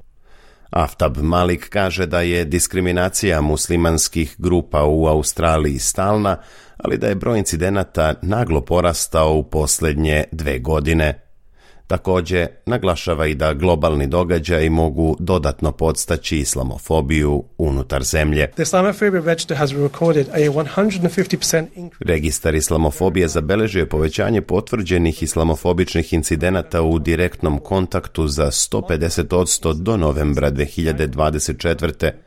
Aftab Malik kaže da je diskriminacija muslimanskih grupa u Australiji stalna, ali da je broj incidenata naglo porastao u posljednje dve godine. Također, naglašava i da globalni događaji mogu dodatno podstaći islamofobiju unutar zemlje. Registar islamofobije zabeležio je povećanje potvrđenih islamofobičnih incidenata u direktnom kontaktu za sto pedeset posto do novembra dve hiljade dvadeset četvrte.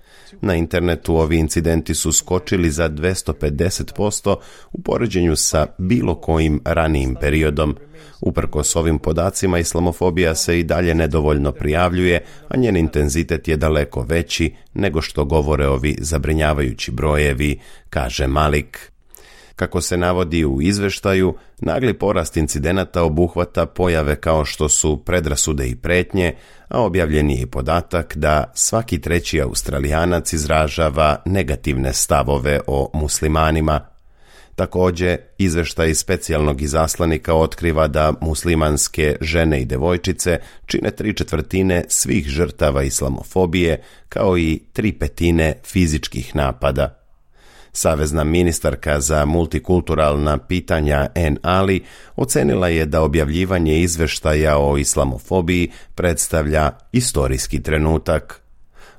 Na internetu ovi incidenti su skočili za dvjesto pedeset posto u poređenju sa bilo kojim ranijim periodom. Uprkos ovim podacima, islamofobija se i dalje nedovoljno prijavljuje, a njen intenzitet je daleko veći nego što govore ovi zabrinjavajući brojevi, kaže Malik. Kako se navodi u izveštaju, nagli porast incidenata obuhvata pojave kao što su predrasude i pretnje, a objavljen je i podatak da svaki treći Australijanac izražava negativne stavove o muslimanima. Također, izveštaj specijalnog izaslanika otkriva da muslimanske žene i devojčice čine tri četvrtine svih žrtava islamofobije, kao i tri petine fizičkih napada. Savezna ministarka za multikulturalna pitanja Ann Ali ocenila je da objavljivanje izveštaja o islamofobiji predstavlja istorijski trenutak.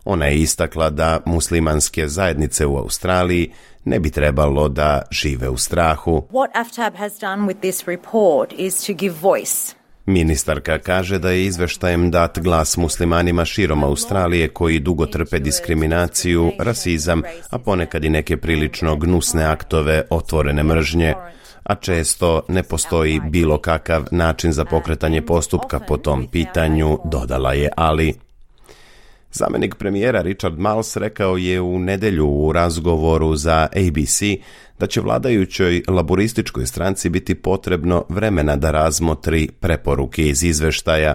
Ona je istakla da muslimanske zajednice u Australiji ne bi trebalo da žive u strahu. What A F T A B has done with this report is to give voice. Ministarka kaže da je izveštajem dat glas muslimanima širom Australije koji dugo trpe diskriminaciju, rasizam, a ponekad i neke prilično gnusne aktove otvorene mržnje, a često ne postoji bilo kakav način za pokretanje postupka po tom pitanju, dodala je Ali. Zamenik premijera Richard Marles rekao je u nedjelju u razgovoru za A B C da će vladajućoj laborističkoj stranci biti potrebno vremena da razmotri preporuke iz izveštaja.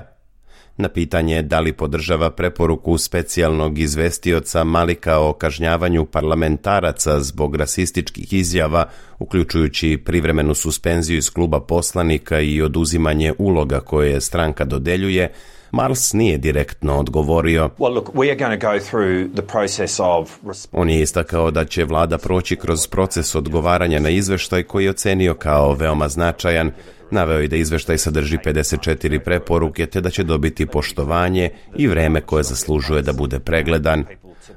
Na pitanje da li podržava preporuku specijalnog izvestioca Malika o kažnjavanju parlamentaraca zbog rasističkih izjava, uključujući privremenu suspenziju iz kluba poslanika i oduzimanje uloga koje stranka dodeljuje, Marles nije direktno odgovorio. Well, look, we are going to go through the process of... On je istakao da će vlada proći kroz proces odgovaranja na izveštaj koji je ocenio kao veoma značajan. Naveo je da izveštaj sadrži pedeset četiri preporuke te da će dobiti poštovanje i vreme koje zaslužuje da bude pregledan.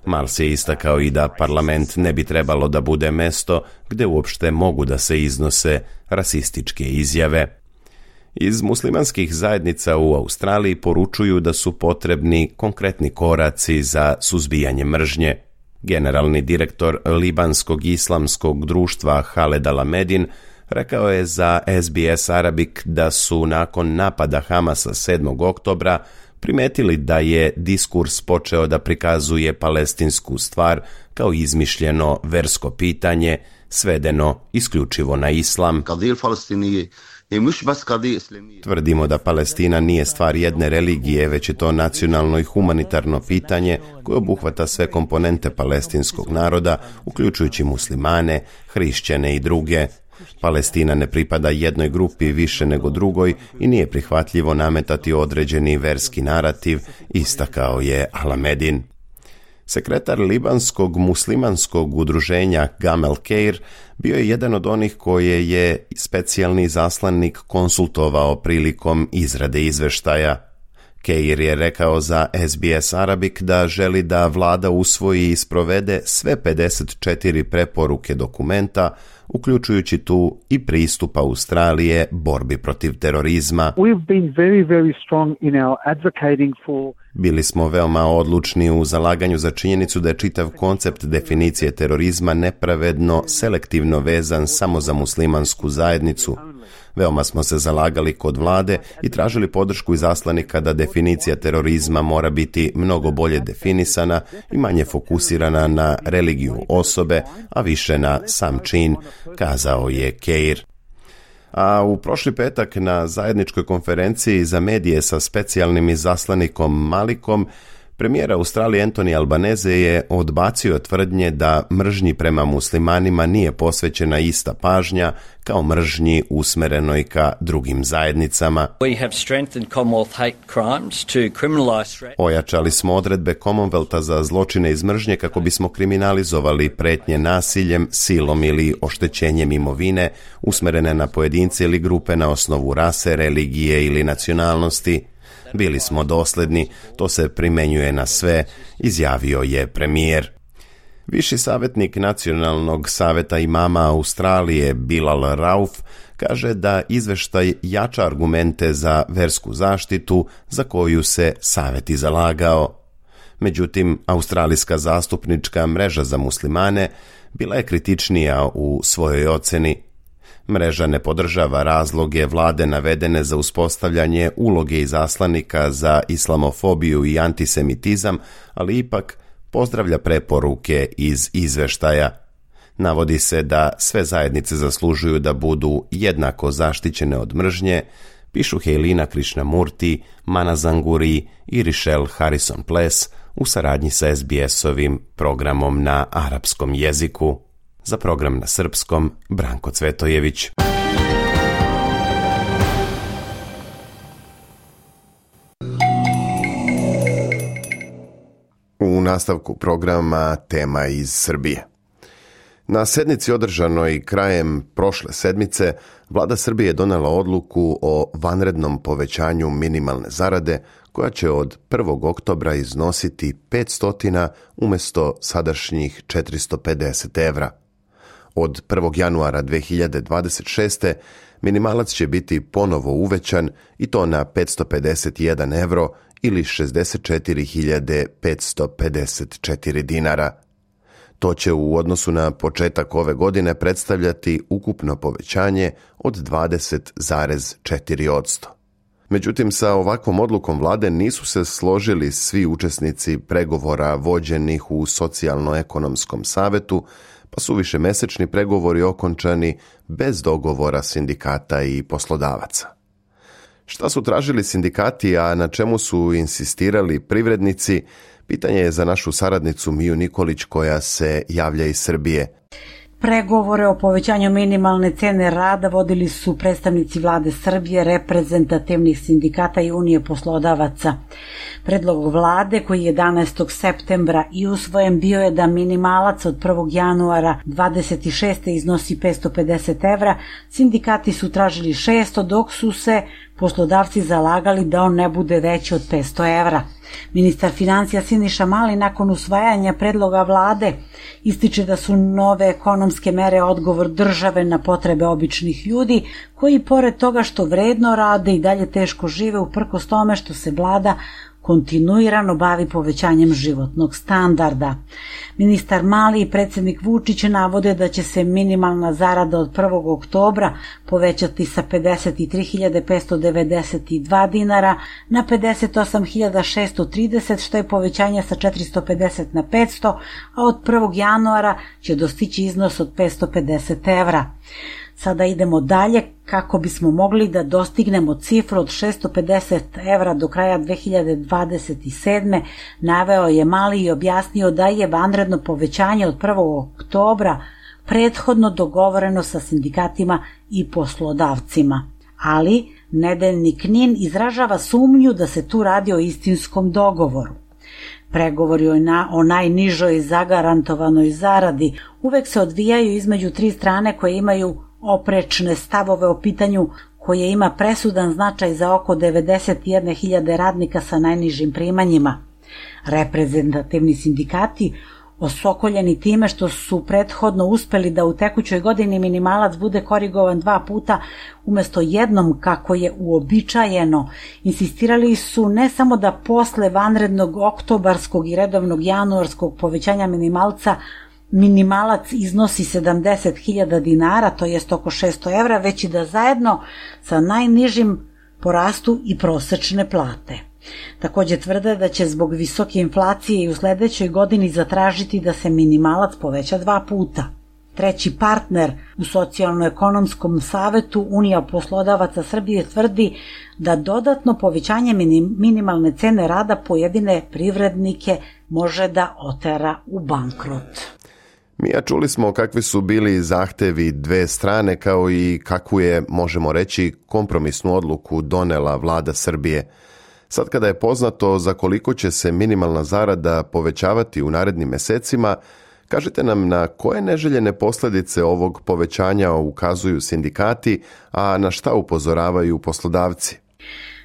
Marles je istakao i da parlament ne bi trebalo da bude mesto gde uopšte mogu da se iznose rasističke izjave. Iz muslimanskih zajednica u Australiji poručuju da su potrebni konkretni koraci za suzbijanje mržnje. Generalni direktor Libanskog islamskog društva Haled Al-Medin rekao je za S B S Arabic da su nakon napada Hamasa sedmog oktobra primetili da je diskurs počeo da prikazuje palestinsku stvar kao izmišljeno versko pitanje, svedeno isključivo na islam. Tvrdimo da Palestina nije stvar jedne religije, već je to nacionalno i humanitarno pitanje koje obuhvata sve komponente palestinskog naroda, uključujući muslimane, hrišćane i druge. Palestina ne pripada jednoj grupi više nego drugoj i nije prihvatljivo nametati određeni verski narativ, istakao je Al-Medin. Sekretar libanskog muslimanskog udruženja Gamel Keir bio je jedan od onih koje je specijalni zaslanik konsultovao prilikom izrade izveštaja. Keir je rekao za S B S Arabic da želi da vlada usvoji i sprovede sve pedeset četiri preporuke dokumenta, uključujući tu i pristup Australije borbi protiv terorizma. We've been very, very strong in our advocating for... Bili smo veoma odlučni u zalaganju za činjenicu da je čitav koncept definicije terorizma nepravedno, selektivno vezan samo za muslimansku zajednicu. Veoma smo se zalagali kod vlade i tražili podršku izaslanika da definicija terorizma mora biti mnogo bolje definisana i manje fokusirana na religiju osobe, a više na sam čin, kazao je Keir. A u prošli petak na zajedničkoj konferenciji za medije sa specijalnim izaslanikom Malikom, premijer Australije Anthony Albanese je odbacio tvrdnje da mržnji prema muslimanima nije posvećena ista pažnja kao mržnji usmerenoj ka drugim zajednicama. Ojačali smo odredbe Commonwealtha za zločine iz mržnje kako bismo kriminalizovali pretnje nasiljem, silom ili oštećenjem imovine usmerene na pojedince ili grupe na osnovu rase, religije ili nacionalnosti. Bili smo dosledni, to se primenjuje na sve, izjavio je premijer. Viši savjetnik Nacionalnog saveta imama Australije Bilal Rauf kaže da izveštaj jača argumente za versku zaštitu za koju se savjet i zalagao. Međutim, Australijska zastupnička mreža za muslimane bila je kritičnija u svojoj oceni. Mreža ne podržava razloge vlade navedene za uspostavljanje uloge izaslanika za islamofobiju i antisemitizam, ali ipak pozdravlja preporuke iz izveštaja. Navodi se da sve zajednice zaslužuju da budu jednako zaštićene od mržnje, pišu Helena Krishnamurti, Mana Zanguri i Richelle Harrison Pless u saradnji sa S B S-ovim programom na arapskom jeziku. Za program na srpskom, Branko Cvetojević. U nastavku programa tema iz Srbije. Na sednici održanoj krajem prošle sedmice, vlada Srbije je donela odluku o vanrednom povećanju minimalne zarade, koja će od prvog oktobra iznositi petsto umjesto sadašnjih četiristo pedeset evra. Od prvog januara dve hiljade dvadeset šeste. minimalac će biti ponovo uvećan i to na petsto pedeset jedan evro ili šezdeset četiri hiljade petsto pedeset četiri dinara. To će u odnosu na početak ove godine predstavljati ukupno povećanje od dvadeset zarez četiri posto. Međutim, sa ovakvom odlukom vlade nisu se složili svi učesnici pregovora vođenih u socijalno-ekonomskom savetu, pa su višemesečni pregovori okončani bez dogovora sindikata i poslodavaca. Šta su tražili sindikati, a na čemu su insistirali privrednici, pitanje je za našu saradnicu Miju Nikolić koja se javlja iz Srbije. Pregovore o povećanju minimalne cene rada vodili su predstavnici vlade Srbije, reprezentativnih sindikata i Unije poslodavaca. Predlog vlade koji je jedanaestog septembra i usvojen bio je da minimalac od prvog januara dvadeset šeste. iznosi petsto pedeset evra, sindikati su tražili šesto, dok su se poslodavci zalagali da on ne bude veći od petsto evra. Ministar financija Siniša Mali nakon usvajanja predloga vlade ističe da su nove ekonomske mere odgovor države na potrebe običnih ljudi koji pored toga što vredno rade i dalje teško žive uprkos tome što se vlada kontinuirano bavi povećanjem životnog standarda. Ministar Mali i predsjednik Vučić navode da će se minimalna zarada od prvog oktobra povećati sa pedeset tri hiljade petsto devedeset dva dinara na pedeset osam hiljada šesto trideset, što je povećanje sa četiristo pedeset na petsto, a od prvog januara će dostići iznos od petsto pedeset evra. Sada idemo dalje kako bismo mogli da dostignemo cifru od šesto pedeset evra do kraja dve hiljade dvadeset sedme. Naveo je Mali i objasnio da je vanredno povećanje od prvog oktobra prethodno dogovoreno sa sindikatima i poslodavcima. Ali nedeljnik N I N izražava sumnju da se tu radi o istinskom dogovoru. Pregovori o najnižoj zagarantovanoj zaradi uvek se odvijaju između tri strane koje imaju oprečne stavove o pitanju koje ima presudan značaj za oko devedeset jedne hiljade radnika sa najnižim primanjima. Reprezentativni sindikati, osokoljeni time što su prethodno uspeli da u tekućoj godini minimalac bude korigovan dva puta umjesto jednom kako je uobičajeno, insistirali su ne samo da posle vanrednog oktobarskog i redovnog januarskog povećanja minimalca minimalac iznosi sedamdeset hiljada dinara, to jest oko šesto evra, već i da zajedno sa najnižim porastu i prosečne plate. Takođe tvrde da će zbog visoke inflacije i u sledećoj godini zatražiti da se minimalac poveća dva puta. Treći partner u Socijalno-ekonomskom savetu Unija poslodavaca Srbije tvrdi da dodatno povećanje minimalne cene rada pojedine privrednike može da otera u bankrot. Mija, čuli smo kakvi su bili zahtevi dve strane kao i kakvu je, možemo reći, kompromisnu odluku donela vlada Srbije. Sad kada je poznato za koliko će se minimalna zarada povećavati u narednim mesecima, kažite nam na koje neželjene posljedice ovog povećanja ukazuju sindikati, a na šta upozoravaju poslodavci?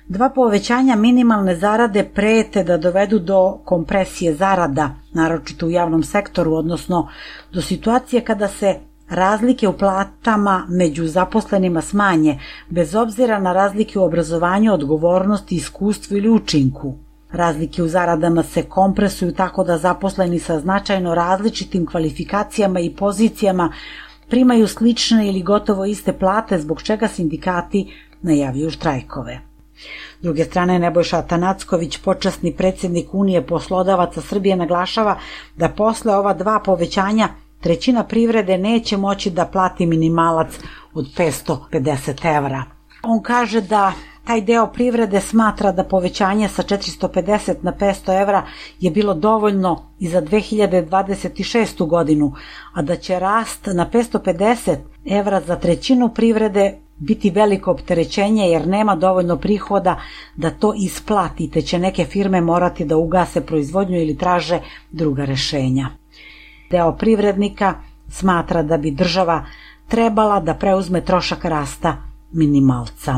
Dva povećanja minimalne zarade prete da dovedu do kompresije zarada, naročito u javnom sektoru, odnosno do situacije kada se razlike u platama među zaposlenima smanje, bez obzira na razlike u obrazovanju, odgovornosti, iskustvu ili učinku. Razlike u zaradama se kompresuju tako da zaposleni sa značajno različitim kvalifikacijama i pozicijama primaju slične ili gotovo iste plate, zbog čega sindikati najavljuju štrajkove. S druge strane, Nebojša Atanacković, počasni predsjednik Unije poslodavaca Srbije, naglašava da posle ova dva povećanja trećina privrede neće moći da plati minimalac od petsto pedeset evra. On kaže da taj deo privrede smatra da povećanje sa četiristo pedeset na petsto evra je bilo dovoljno i za dve hiljade dvadeset šestu godinu, a da će rast na petsto pedeset evra za trećinu privrede biti veliko opterećenje jer nema dovoljno prihoda da to isplati, te će neke firme morati da ugase proizvodnju ili traže druga rešenja. Deo privrednika smatra da bi država trebala da preuzme trošak rasta minimalca.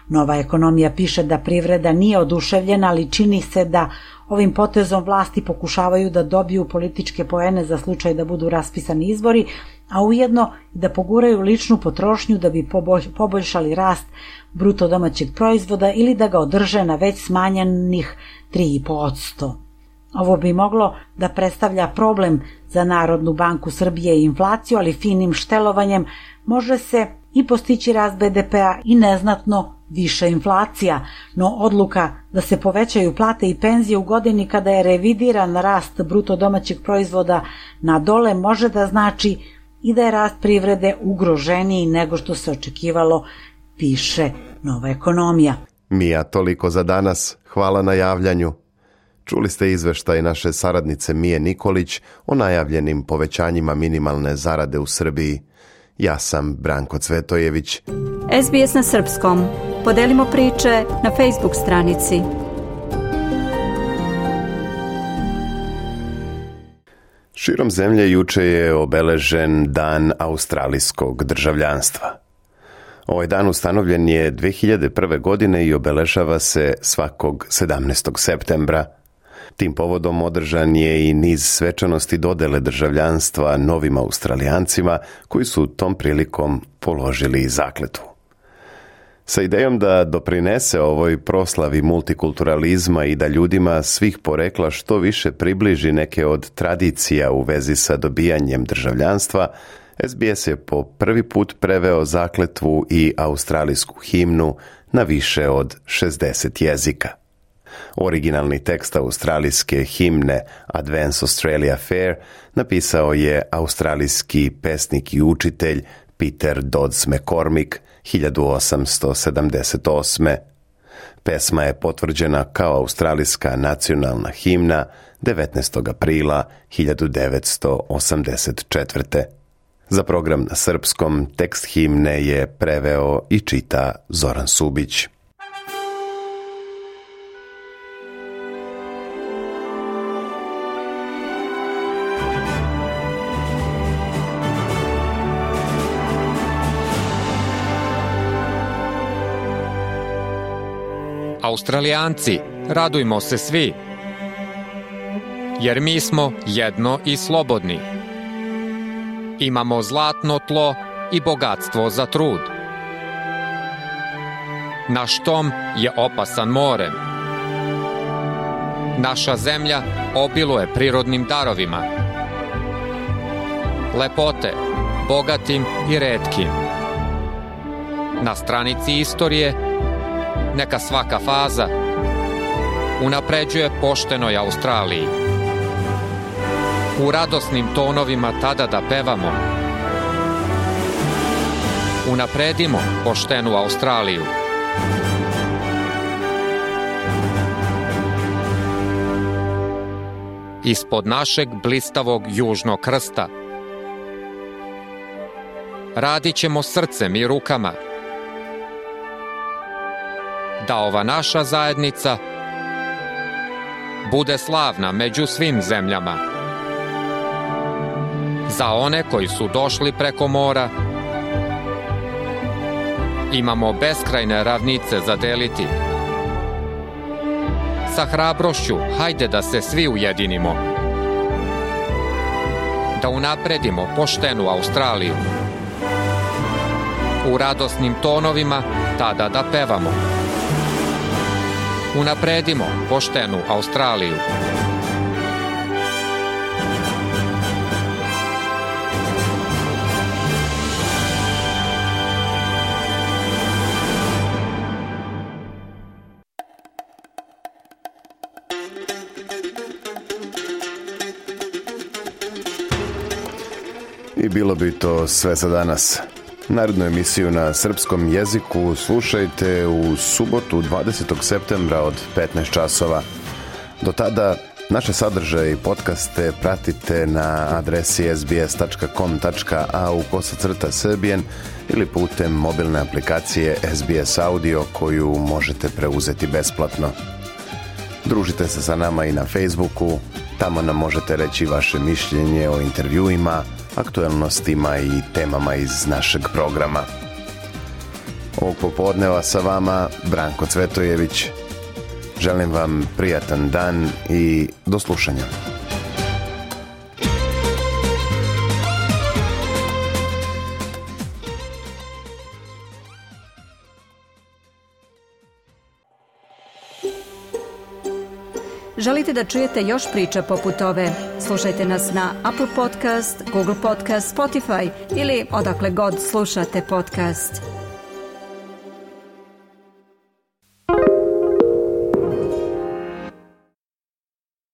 Nova ekonomija piše da privreda nije oduševljena, ali čini se da ovim potezom vlasti pokušavaju da dobiju političke poene za slučaj da budu raspisani izbori, a ujedno da poguraju ličnu potrošnju da bi poboljšali rast bruto domaćeg proizvoda ili da ga održe na već smanjenih tri i po posto. Ovo bi moglo da predstavlja problem za Narodnu banku Srbije i inflaciju, ali finim štelovanjem može se i postići rast be de pea i neznatno više inflacija, no odluka da se povećaju plate i penzije u godini kada je revidiran rast bruto domaćeg proizvoda na dole može da znači i da je rast privrede ugroženiji nego što se očekivalo, piše Nova ekonomija. Mija, toliko za danas. Hvala na javljanju. Čuli ste izveštaj naše saradnice Mije Nikolić o najavljenim povećanjima minimalne zarade u Srbiji. Ja sam Branko Cvetojević. es be es na srpskom. Podelimo priče na Facebook stranici. Širom zemlje juče je obeležen Dan australijskog državljanstva. Ovaj dan ustanovljen je dve hiljade prve. godine i obeležava se svakog sedamnaestog septembra. Tim povodom održan je i niz svečanosti dodele državljanstva novim Australijancima koji su tom prilikom položili zakletvu. Sa idejom da doprinese ovoj proslavi multikulturalizma i da ljudima svih porekla što više približi neke od tradicija u vezi sa dobijanjem državljanstva, es be es je po prvi put preveo zakletvu i australijsku himnu na više od šezdeset jezika. Originalni tekst australijske himne Advance Australia Fair napisao je australijski pesnik i učitelj Peter Dodds McCormick hiljadu osamsto sedamdeset osme. Pesma je potvrđena kao australijska nacionalna himna devetnaestog aprila hiljadu devetsto osamdeset četvrte. Za program na srpskom tekst himne je preveo i čita Zoran Subić. Australijanci, radujmo se svi, jer mi smo jedno i slobodni. Imamo zlatno tlo i bogatstvo za trud. Naš tom je opasan morem. Naša zemlja obiluje prirodnim darovima. lepote, bogatim i retkim. Na stranici istorije neka svaka faza unapređuje poštenoj Australiji. U radosnim tonovima tada da pevamo. Unapredimo poštenu Australiju. Ispod našeg blistavog južnog krsta radit ćemo srcem i rukama da ova naša zajednica bude slavna među svim zemljama. Za one koji su došli preko mora imamo beskrajne ravnice za deliti. Sa hrabrošću hajde da se svi ujedinimo, da unapredimo poštenu Australiju. U radosnim tonovima tada da pevamo. Unapredimo poštenu Australiju. I bilo bi to sve za danas. Narednu emisiju na srpskom jeziku slušajte u subotu dvadesetog septembra od petnaest časova. Do tada naše sadržaje i podcaste pratite na adresi es bi es tačka com tačka a u kosacrta srbijen ili putem mobilne aplikacije es bi es Audio koju možete preuzeti besplatno. Družite se sa nama i na Facebooku, tamo nam možete reći vaše mišljenje o intervjuima, aktuelnostima i temama iz našeg programa. Ovog popodneva sa vama Branko Cvetojević. Želim vam prijatan dan i do slušanja. Želite da čujete još priča poput ove? Slušajte nas na Apple Podcast, Google Podcast, Spotify ili odakle god slušate podcast.